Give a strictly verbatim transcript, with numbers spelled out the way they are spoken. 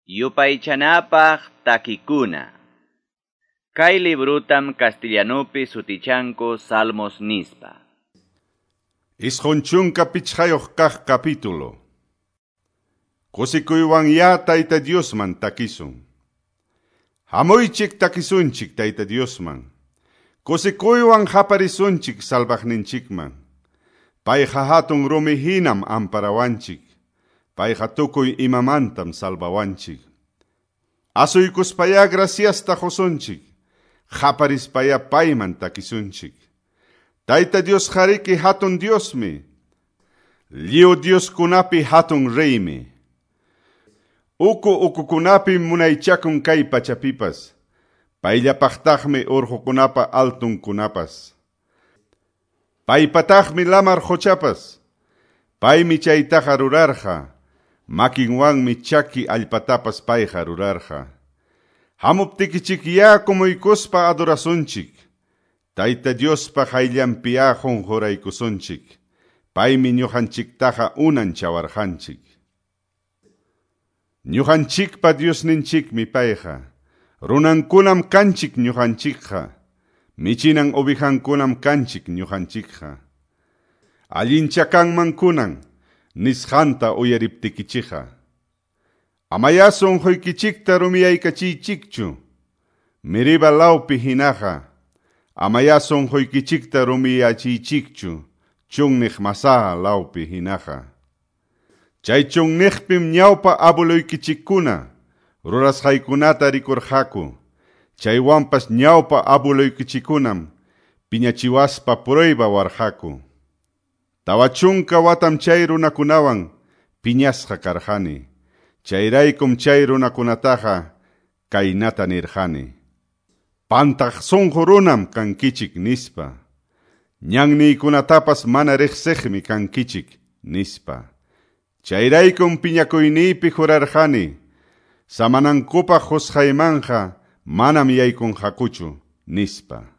Yupaychanapaq takikuna. Kay librutam castellanupi sutichanku Salmos nispa. Isqun chunka pichqayuq kaq capítulo. Kusikuywan ya Tayta Diosman takisun. Hamuychik takisunchik Tayta Diosman. Kusikuywan haparisunchik salvaqninchikman. Payqa hatun rumi hinam amparawanchik. Payqa tukuy imamantam salvawanchik. Asuykuspaya graciasta qusunchik. Haparispaya payman takisunchik. Tayta Dios hariki hatun Diosmi. Lliw Dioskunapi hatun reymi. Uku ukukunapi munaychakun kay pachapipas. Payllapaqtaqmi urqukunapa altunkunapas. Paypataqmi lamar quchapas. Paymi chaytaqa rurarqa. Makinwanmi chaki allpatapas payqa rurarqa. Hamuptikichik kumuykuspa adorasunchik. Tayta Diospa qayllanpiya qunquraykusunchik. Paymi ñuqanchiktaqa unanchawarqanchik. Ñuqanchikpa Diosninchikmi payqa. Runankunam kanchik ñuqanchikqa. Michinan ovejankunam kanchik ñuqanchikqa. Allincha kanman kunan nisqanta uyariptikichikqa. Amaya sunquykichikta rumiyaykachiychikchu. Meriba lawpi hinaqa. Amaya sunquykichikta rumiyachiychikchu. Chunniq Masaha lawpi hinaqa. Chay chunniqpim ñawpa abueluykichikkuna rurasqaykunata rikurqaku. Chaywanpas ñawpa abueluykichikkunam piñachiwaspa prueba warqaku. Tawa chunka watam chay runakunawan piñasqa karqani. Chayraykum chay runakunataqa kaynata nirqani. Pantaq sunqu runam kankichik nispa. Ñanniykunatapas mana riqsiqmi kankichik nispa. Chayraykum piñakuyniypi jurarqani. Samanankupaq qusqaymanja manam yaykunqakuchu nispa.